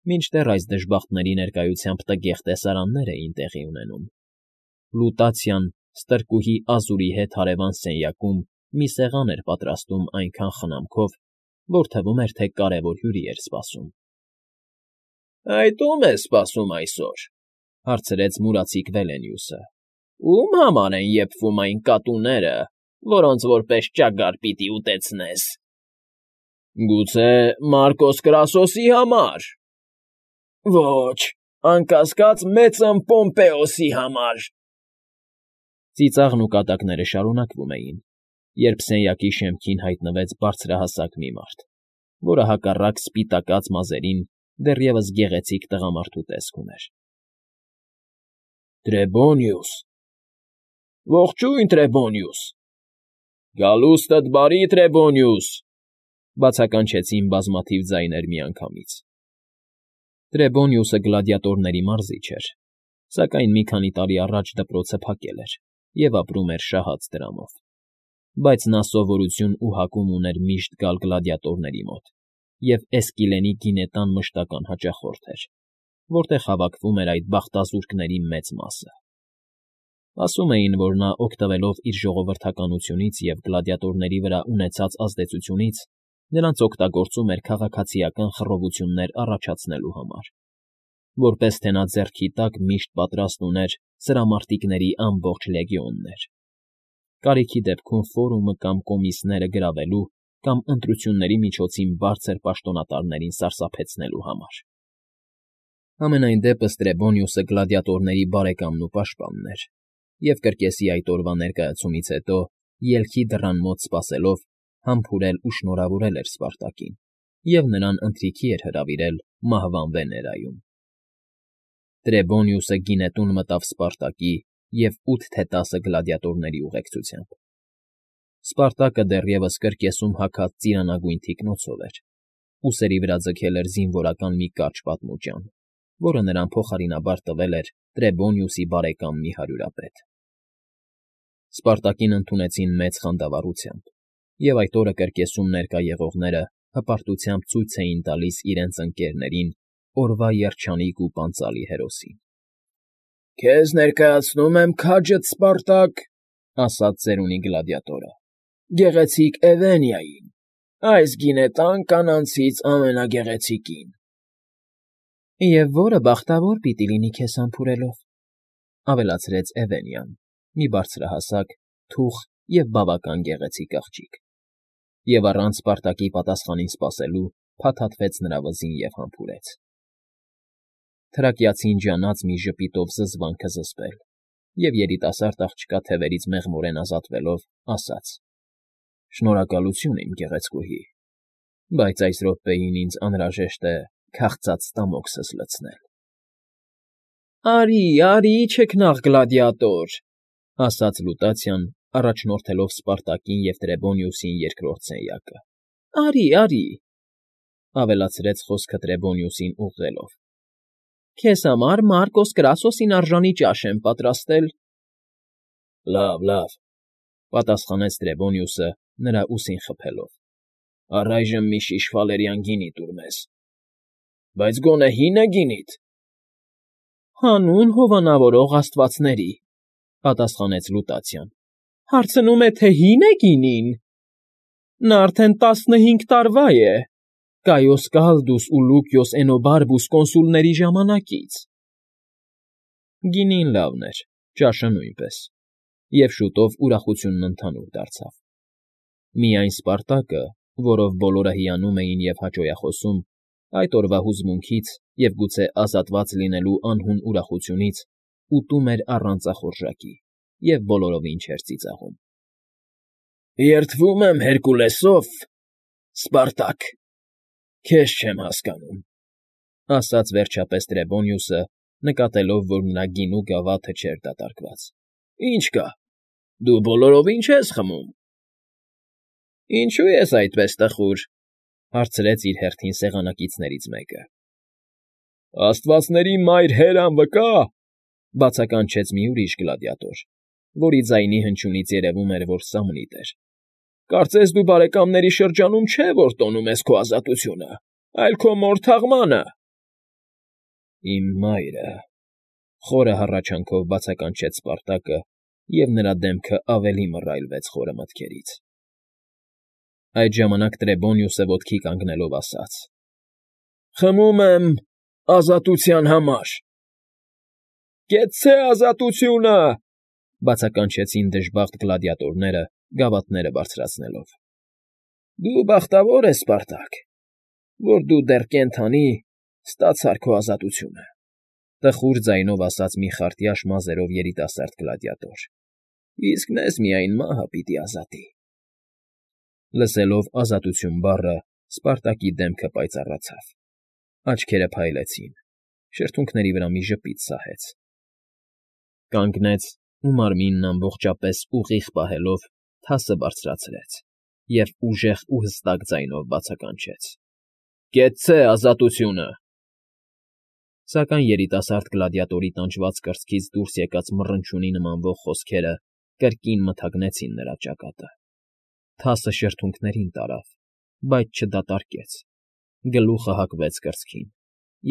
Մինչդեռ այս դժբախտների ներկայությամբ տգեղ տեսարաններ էին տեղի ունենում. Լուտացիան ստրկուհի Ազուրի հետ հարևան սենյակում մի սեղան էր պատրաստում այնքան խնամքով, որ թվում էր, թե կարևոր հյուրի էր սպասում։ ֊ Այդ ո՞ւմ է սպասում այսօր,֊ հարցրեց մուրացիկ Վելենիուսը։ ֊ Ո՞ւմ համար են եփվում այն կատուները, որոնց որպես ճագար պիտի ուտեցնես։ ֊ Գուցե Մարկոս Կրասոսի համար։ ֊ Ոչ, անկասկած, մեծն Պոմպեոսի համար։ Ծիծաղն ու կատակները շարունակվում էին, երբ սենյակի շեմքին հայտնվեց բարձրահասակ մի մարդ, որը հակառակ սպիտակած մազերին դեռևս գեղեցիկ տղամարդու տեսք ուներ։ ֊ Տրեբոնիուս… Ողջույն, Տրեբոնիուս… Գալուստդ բարի, Տրեբոնիուս…֊ բացականչեցին բազմաթիվ ձայներ միանգամից։ Տրեբոնիուսը գլադիատորների մարզիչ էր, սակայն մի քանի տարի առաջ դպրոցը փակել էր և ապրում էր շահած դրամով, բայց նա սովորություն ու հակում ուներ միշտ գալ գլադիատորների մոտ և Էսկիլենի գինետան մշտական հաճախորդ էր, որտեղ հավաքվում էր այդ բախտազուրկների մեծ մասը։ Ասում էին, որ նա, օգտվելով իր ժողովրդականությունից և գլադիատորների վրա ունեցած ազդեցությունից, նրանց օգտագործում էր քաղաքացիական խռովություններ առաջացնելու համար, որպես թե նա ձեռքի տակ միշտ պատրաստ ուներ սրամարտիկների ամբողջ լեգիոններ, կարիքի դեպքում ֆորումը կամ կոմիսները գրավելու կամ ընտրությունների միջոցին բարձր պաշտոնատարներին սարսափեցնելու համար։ Համենայն դեպս Տրեբոնիուսը գլադիատորների բարեկամն ու պաշտպանն էր, և կրկեսի այդ օրվա ներկայացումից հետո, ելքի դռան մոտ սպասելով, համբուրել ու շնորհավորել էր Սպարտակին և նրան ընթրիքի էր հրավիրել մահվան Վեներայում։ Տրեբոնիուսը գինետուն մտավ Սպարտակի և 8 թե 10 գլադիատորների ուղեկցությամբ։ Սպարտակը դեռևս կրկեսում հագած ծիրանագույն թիկնոցով էր, ուսերի վրա ձգել էր զինվորական մի կարճ պատմուճան, որը նրան փոխարինաբար տվել էր Տրեբոնիուսի բարեկամ մի հարյուրապետ։ Սպարտակին ընդունեցին մեծ խանդավառությամբ, և այդ օրը կրկեսում ներկա եղողները հպարտությամբ ցույց էին տալիս իրենց ընկերներին օրվա երջանիկ ու պանծալի հերոսին։ ֊ Քեզ ներկայացնում եմ քաջդ Սպարտակ,֊ ասաց ծերունի գլադիատորը,֊ գեղեցիկ Էվենիային, այս գինետան կանանցից ամենագեղեցիկին։ ֊ Եվ որը բախտավոր պիտի լինի քեզ համբուրելով,֊ ավելացրեց Էվենյան, մի բարձրահասակ, թուխ և բավական գեղեցիկ աղջիկ, և առանց Սպարտակի պատասխանին սպասելու փաթաթվեց նրա վզին և համբուրեց։ Թրակիացին ջանաց մի ժպիտով զզվանքը զսպել և երիտասարդ աղջկա թևերից մեղմորեն ազատվելով, ասաց. «Շնորհակալություն, իմ գեղեցկուհի, բայց այս րոպեին ինձ անհրաժեշտ է քաղցած ստամոքսս լցնել»։ ֊ Արի, չքնաղ գլադիատոր,֊ ասաց Լուտացիան, առաջնորդելով Սպարտակին և Տրեբոնիուսին երկրորդ սենյակը։ ֊ Արի,֊ ավելացրեց խոսքը Տրեբոնիուսին ուղղելով,֊ քեզ համար Մարկոս Կրասոսին արժանի ճաշ եմ պատրաստել։ ֊ Լավ,֊ պատասխանեց Տրեբոնիուսը, նրա ուսին խփելով,֊ առայժմ մի շիշ ֆալերյան գինի տուր մեզ։ ֊ Բայց գոնե հի՞ն է գինիդ։ ֊ Հանուն հովանավորող աստվածների,֊ պատասխանեց Լուտացիան,֊ հարցնում է, թե հի՞ն է գինին։ Նա արդեն 15 տարվա է, Կայոս Կալդուս ու Լուկիոս Էնոբարբուս կոնսուլների ժամանակից։ Գինին լավն էր, ճաշը նույնպես, և շուտով ուրախությունն ընդհանուր դարձավ։ Միայն Սպարտակը, որով բոլորը հիանում էին և հաճոյախոսում, այդ օրվա հուզմունքից և գուցե ազատված լինելու անհուն ուրախությունից ուտում էր առանց ախորժակի և բոլորովին չէր ծիծաղում։ ֊ Երդվում եմ Հերկուլեսով, Սպարտակ, քեզ չեմ հասկանում,֊ ասաց վերջապես Տրեբոնիուսը, նկատելով, որ նրա գինու գավաթը չէր դատարկված։ ֊ Ինչ կա, դու բոլորովին չես խմում։ ֊ Ինչո՞ւ ես այդպես տխուր,֊ հարցրեց իր հերթին սեղանակիցներից մեկը։ ֊ Աստվածների մայր Հերան վկա,֊ բացականչեց մի ուրիշ գլադիատոր, որի ձայնի հնչյունից երևում էր, որ սամնիտ էր,֊ կարծես դու բարեկամների շրջանում չէ, որ տոնում ես քո ազատությունը, այլ քո մոր թաղմանը։ Իմ մայրը,֊ խորը հառաչանքով բացականչեց Սպարտակը, և նրա դեմքը ավելի մռայլվեց խորը մտքերից։ Այդ ժամանակ Տրեբոնիուսը ոտքի կանգնելով ասաց. «Խմում եմ ազատության համար»։ «Կեցցե ազատությունը», բացականչեցին դժբախտ գլադիատորները, գավաթները բարձրացնելով։ «Դու բախտավոր ես, Սպարտակ, որ դու դեռ կենդանի ստացար քո ազատությունը», տխուր ձայնով ասաց մի խարտյաշ մազերով երիտասարդ գլադիատոր։ «Իսկ մեզ միայն մահը պիտի ազատի»։ Լսելով ազատություն բառը, Սպարտակի դեմքը պայծառացավ, աչքերը փայլեցին, շրթունքների վրա մի ժպիտ սահեց։ Կանգնեց ու մարմինն ամբողջապես ուղիղ պահելով թասը բարձրացրեց և ուժեղ ու հստակ ձայնով բացականչեց. «Կեցցե ազատությունը»։ Սակայն երիտասարդ գլադիատորի տանջված կրծքից դուրս եկած մռնչյունի նմանվող խոսքերը կրկին մթագնեցին նրա ճակատը։ Թասը շրթունքներին տարավ, բայց չդատարկեց, գլուխը հակվեց կրծքին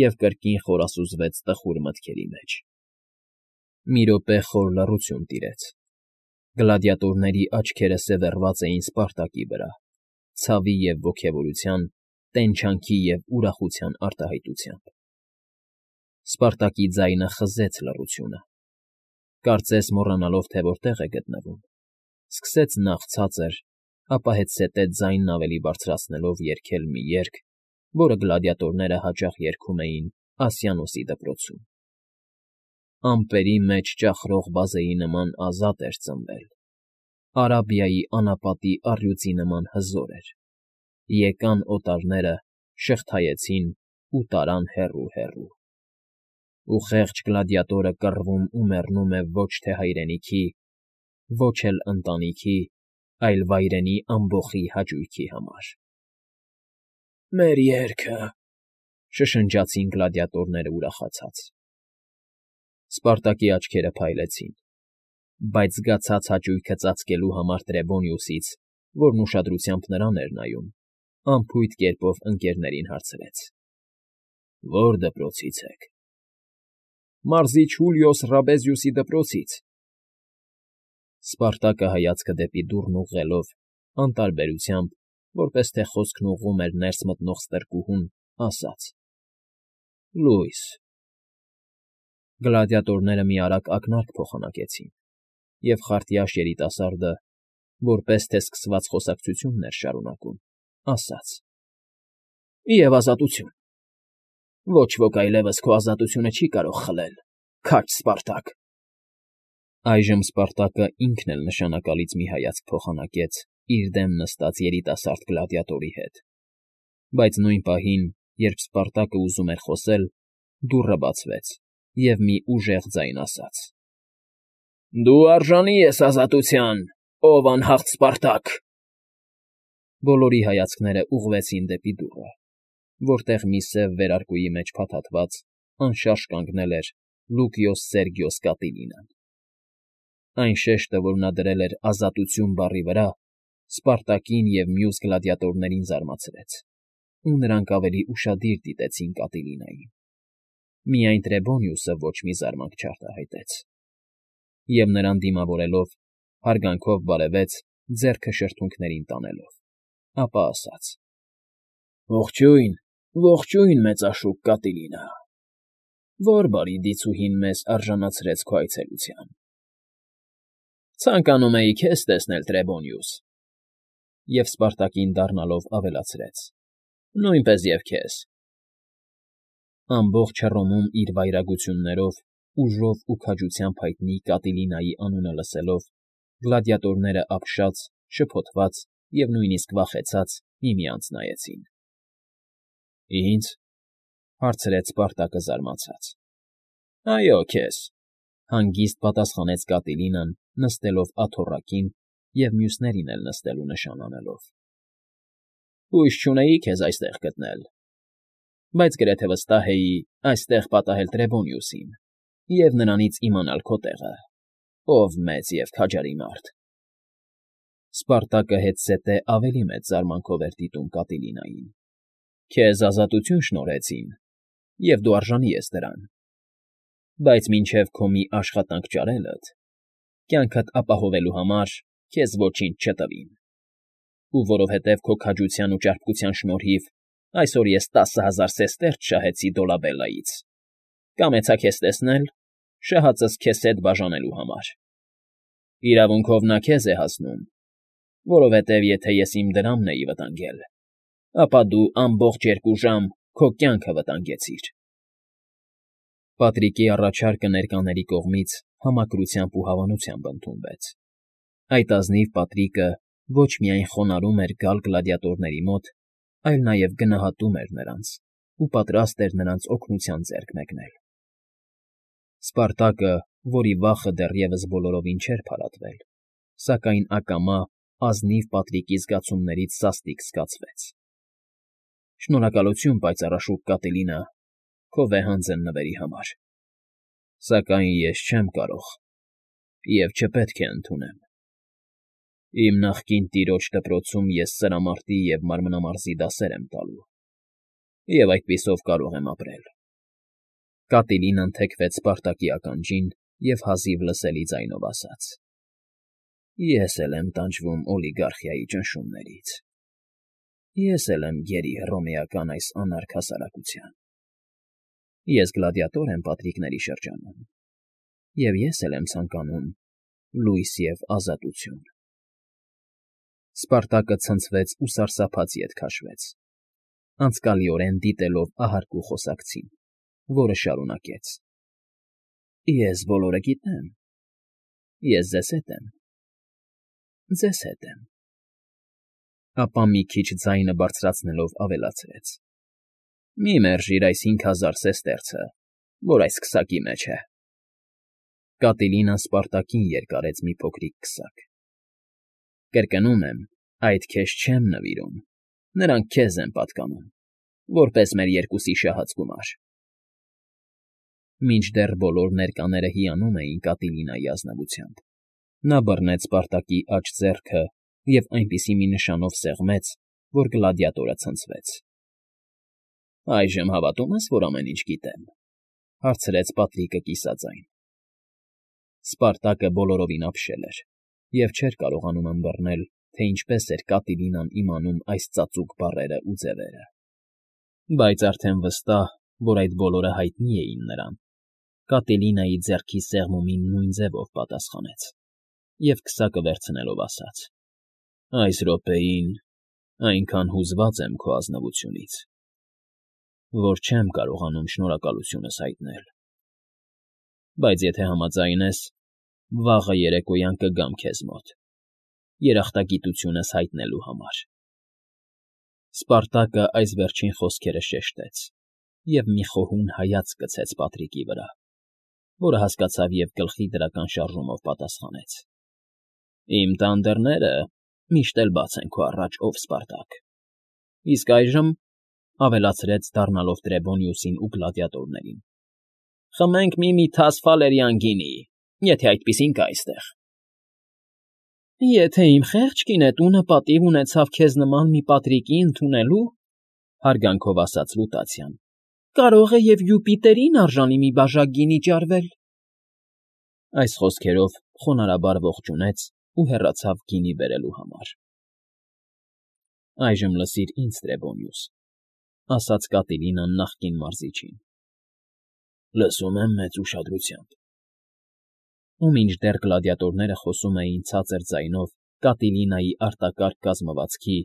և կրկին խորասուզվեց տխուր մտքերի մեջ։ Մի րոպե խոր լռություն տիրեց։ Գլադիատորների աչքերը սևեռված էին Սպարտակի վրա, ցավի և ոգևորության, տենչանքի և ուրախության արտահայտությամբ։ Սպարտակի ձայնը խզեց լռությունը։ Կարծես մոռանալով, թե որտեղ է գտնվում, սկսեց նախ ցածր, ապա հետզհետե ձայնն ավելի բարձրացնելով երգել մի երգ, որը գլադիատորները հաճախ երգում էին Ասիանոսի դպրոցում։ Ամպերի մեջ ճախրող բազեի նման ազատ էր ծնվել, Արաբիայի անապատի առյուծի նման հզոր էր։ Եկան օտարները, շղթայեցին ու տարան հեռու֊հեռու։ Ու խեղճ գլադիատորը կռվում ու մեռնում է ոչ թե հայրենիքի, ոչ էլ ընտանիքի, այլ վայրենի ամբոխի հաճույքի համար։ «Մեր երգը», շշնջացին գլադիատորները ուրախացած։ Սպարտակի աչքերը փայլեցին, բայց զգացած հաճույքը ծածկելու համար Տրեբոնիուսից, որն ուշադրությամբ նրան էր նայում, անփույթ կերպով ընկներներին հարցրեց. «Ո՞ր դպրոցից եք»։ «Մարզիչ Հուլիոս Ռաբեզիուսի դպրոցից»։ Սպարտակը հայացքը դեպի դուռն ուղղելով, անտարբերությամբ, որպես թե խոսքն ուղղում էր ներս մտնող ստրկուհուն, ասաց. «Լույս»։ Գլադիատորները մի արագ ակնարկ փոխանակեցին, և խարտյաշ երիտասարդը, որպես թե սկսված խոսակցությունն էր շարունակում, ասաց. «Եվ ազատություն։ Ոչ ոք այլևս քո ազատությունը չի կարող խլել, քաջ Սպարտակ»։ Այժմ Սպարտակը ինքն էլ նշանակալից մի հայացք փոխանակեց իր դեմ նստած երիտասարդ գլադիատորի հետ, բայց նույն պահին, երբ Սպարտակը ուզում էր խոսել, դուռը բացվեց, և մի ուժեղ ձայն ասաց. «Դու արժանի ես ազատության, ով անհաղթ Սպարտակ»։ Բոլորի հայացքները ուղղվեցին դեպի դուռը, որտեղ մի սև վերարկուի մեջ փաթաթված, անշարժ կանգնել էր Լուկիոս Սերգիոս Կատիլինան։ Այն շեշտը, որ նա դրել էր ազատություն բառի վրա, Սպարտակին և մյուս գլադիատորներին զարմացրեց, ու նրանք ավելի ուշադիր դիտեցին Կատիլինային։ Միայն Տրեբոնիուսը ոչ մի զարմանք չարտահայտեց, և նրան դիմավորելով, հարգանքով բարևեց, ձեռքը շրթունքներին տանելով, ապա ասաց. «Ողջույն, ողջույն, մեծաշուք Կատիլինա, ո՞ր բարի դիցուհին մեզ արժանացրեց քո այցելության»։ «Ցանկանում էի քեզ տեսնել, Տրեբոնիուս», և Սպարտակին դառնալով ավելացրեց. «Նույնպես և քեզ»։ Ամբողջ Հռոմում իր վայրագություններով, ուժով ու քաջությամբ հայտնի Կատիլինայի անունը լսելով, գլադիատորները ապշած, շփոթված և նույնիսկ վախեցած միմյանց նայեցին։ «Ի՞նձ»։ հարցրեց Սպարտակը զարմացած։ «Այո, քեզ», հանգիստ պատասխանեց Կատիլինան, նստելով աթոռակին և մյուսներին էլ նստելու նշան անելով։ «Հույս չունեի քեզ այստեղ գտնել, բայց գրեթե վստահ էի այստեղ պատահել Տրեբոնիուսին և նրանից իմանալ քո տեղը, ով մեծ և քաջարի մարդ»։ Սպարտակը հետզհետե ավելի մեծ զարմանքով էր դիտում Կատիլինային։ «Քեզ ազատություն շնորհեցին, և դու արժանի ես դրան, բայց մինչև քո մի աշխատանք ճարելդ, կյանքդ ապահովելու համար քեզ ոչինչ չտվին, ու որովհետև քո քաջության ու ճարպկության շնորհիվ այսօր ես 10,000 սեստերց շահեցի Դոլաբելլայից, կամեցա քեզ տեսնել, շահածս քեզ հետ բաժանելու համար. իրավունքով նա քեզ է հասնում, որովհետև եթե ես իմ դրամն էի վտանգել, ապա դու ամբողջ 2 ժամ քո կյանքը վտանգեցիր։ Պատրիկի առաջարկը ներկաների կողմից համակրությամբ ու հավանությամբ ընդունվեց։ Այդ ազնիվ Պատրիկը ոչ միայն խոնարհում էր գալ գլադիատորների մոտ, այլ նաև գնահատում էր նրանց ու պատրաստ էր նրանց օգնության ձեռք մեկնել։ Սպարտակը, որի վախը դեռևս բոլորովին չէր փարատվել, սակայն ակամա ազնիվ Պատրիկի զգացումներից սաստիկ զգացվեց։ Շնորհակալություն, պայծառաշուք Կատիլինա, քո վեհանձն նվերի համար, սակայն ես չեմ կարող և չպետք է ընդունեմ։ Իմ նախկին տիրոջ դպրոցում ես սրամարտի և մանրամասնի դասեր եմ տալու, և այդպիսով կարող եմ ապրել։ Կատիլինան թեքվեց Սպարտակի ականջին և հազիվ լսելի ձայնով ասաց. Ես էլ եմ տանջվում օլիգարխիայի ճնշումներից, ես էլ եմ գերի հռոմեական այս անարգ հասարակության, ես գլադիատոր եմ պատրիկների շրջանում, և ես էլ եմ ցանկանում լույս և ազատություն։ Սպարտակը ցնցվեց ու սարսափած ետ քաշվեց, անցկալիորեն դիտելով ահարկու խոսակցին, որը շարունակեց. Ես բոլորը գիտեմ, ես ձեզ հետ եմ, ձեզ հետ եմ։ Ապա մի քիչ ձայնը բարձրացնելով ավելացրեց. Մի մերժիր այս 5,000 սեստերցը, որ այս քսակի մեջ է։ Կատիլինան Սպարտակին երկարեց մի փոքրիկ քսակ։ Կրկնում եմ, այդ քեզ չեմ նվիրում, նրանք քեզ են պատկանում, որպես մեր երկուսի շահած գումար։ Մինչդեռ բոլոր ներկաները հիանում էին Կատիլինայի ազնվությամբ, նա բռնեց Սպարտակի աջ ձեռքը և այնպիսի մի նշանով սեղմեց, որ գլադիատորը ցնցվեց։ Այժմ հավատո՞ւմ ես, որ ամեն ինչ գիտեմ,֊ հարցրեց Պատրիկը կիսաձայն։ Սպարտակը բոլորովին ապշել էր և չէր կարողանում ըմբռնել, թե ինչպես էր Կատիլինան իմանում այս ծածուկ բառերը ու ձևերը։ Բայց արդեն վստահ, որ այդ բոլորը հայտնի էին նրան, Կատիլինայի ձեռքի սեղմումին նույն ձևով պատասխանեց և քսակը վերցնելով ասաց. Այս րոպեին այնքան հուզված եմ քո ազնվությունից, որ չեմ կարողանում շնորհակալությունս հայտնել, բայց եթե համաձայն ես, վաղը երեկոյան կգամ քեզ մոտ, երախտագիտությունս հայտնելու համար։ Սպարտակը այս վերջին խոսքերը շեշտեց և մի խոհուն հայացք գցեց Պատրիկի վրա, որը հասկացավ և գլխի դրական շարժումով պատասխանեց. Իմ տան դռները միշտ էլ բաց են քո առաջ, ով Սպարտակ։ Իսկ այժմ,֊ ավելացրեց, դառնալով Տրեբոնիուսին ու գլադիատորներին,֊ խմենք մի թաս ֆալերիան գինի, եթե այդպիսին կա այստեղ։ Եթե իմ խեղճ կինետունը պատիվ ունեցավ քեզ նման մի Պատրիկի ընդունելու,֊ հարգանքով ասաց Լուտացիան,֊ կարող է և Յուպիտերին արժանի մի բաժակ գինի ճարվել։ Այս խոսքերով խոնարհաբար ողջունեց ու հեռացավ գինի բերելու համար։ Այժմ լսիր ինձ, Տրեբոնիուս,֊ ասաց Կատիլինան նախկին մարզիչին։ Լսում եմ մեծ ուշադրությամբ։ Ու մինչդեռ գլադիատորները խոսում էին ցածր ձայնով Կատիլինայի արտակարգ կազմվածքի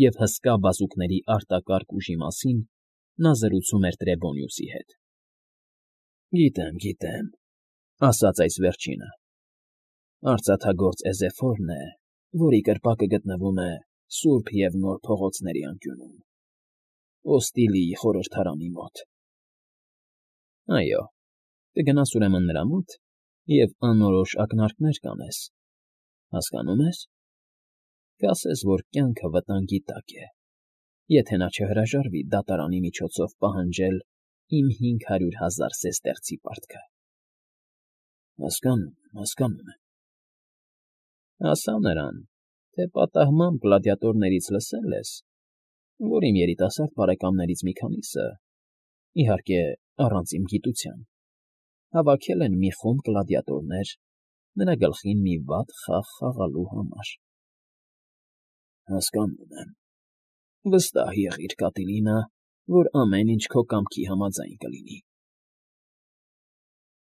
և հսկա բազուկների արտակարգ ուժի մասին, նա զրուցում էր Տրեբոնիուսի հետ։ Գիտեմ,֊ ասաց այս վերջինը, արծաթագործ Էզեֆորն է, որի կրպակը գտնվում է Սուրբ և Նոր փողոցների անկյունում, Օստիլիի խորհրդարանի մոտ։ Այո, կգնաս ուրեմն նրա մոտ և անորոշ ակնարկներ կանես, հասկանո՞ւմ ես, կասես, որ կյանքը վտանգի տակ է, եթե նա չհրաժարվի դատարանի միջոցով պահանջել իմ 500,000 սեստերցի պարտքը։ Հասկանում եմ։ Ասա նրան, թե պատահմամբ գլադիատորներից լսել ես, որ իմ երիտասարդ բարեկամներից մի քանիսը Իհարկե, առանց իմ գիտության, հավաքել են մի խումբ գլադիատորներ նրա գլխին մի վատ խաղ խաղալու համար։ ֊ Հասկանում եմ, վստահ եղիր, Կատիլինա, որ ամեն ինչ քո կամքի համաձայն կլինի։